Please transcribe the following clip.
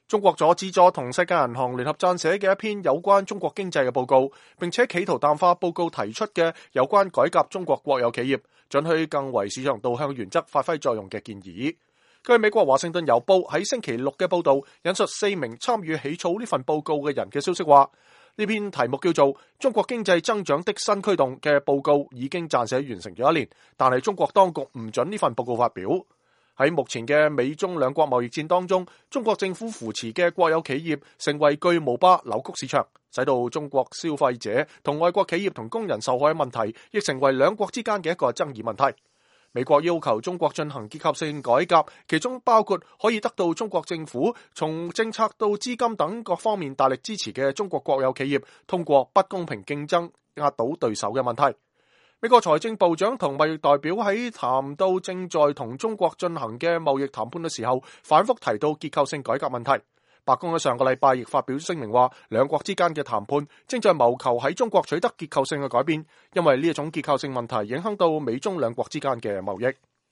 中國阻止咗同世界銀行聯合撰寫嘅一篇有關中國經濟嘅報告，並且企圖淡化報告提出嘅有關改革中國國有企業、准許更為市場導向原則發揮作用嘅建議。據美國華盛頓郵報喺星期六嘅報道，引述4名參與起草呢份報告嘅人嘅消息話，呢篇題目叫做《中國經濟增長的新驅動》嘅報告已經撰寫完成咗1年，但係中國當局唔准呢份報告發表。喺目前嘅美中兩國貿易戰當中，中國政府扶持嘅國有企業成為巨無霸，扭曲市場，使到中國消費者同外國企業同工人受害嘅問題，亦成為兩國之間嘅一個爭議問題。美國要求中國進行結構性改革，其中包括可以得到中國政府從政策到資金等各方面大力支持嘅中國國有企業，通過不公平競爭壓倒對手嘅問題。美國財政部長同貿易代表喺談到正在同中國進行嘅貿易談判嘅時候，反覆提到結構性改革問題。白宮喺上個禮拜亦發表聲明話，兩國之間嘅談判正在謀求喺中國取得結構性嘅改變，因為呢一種結構性問題影響到美中兩國之間嘅貿易。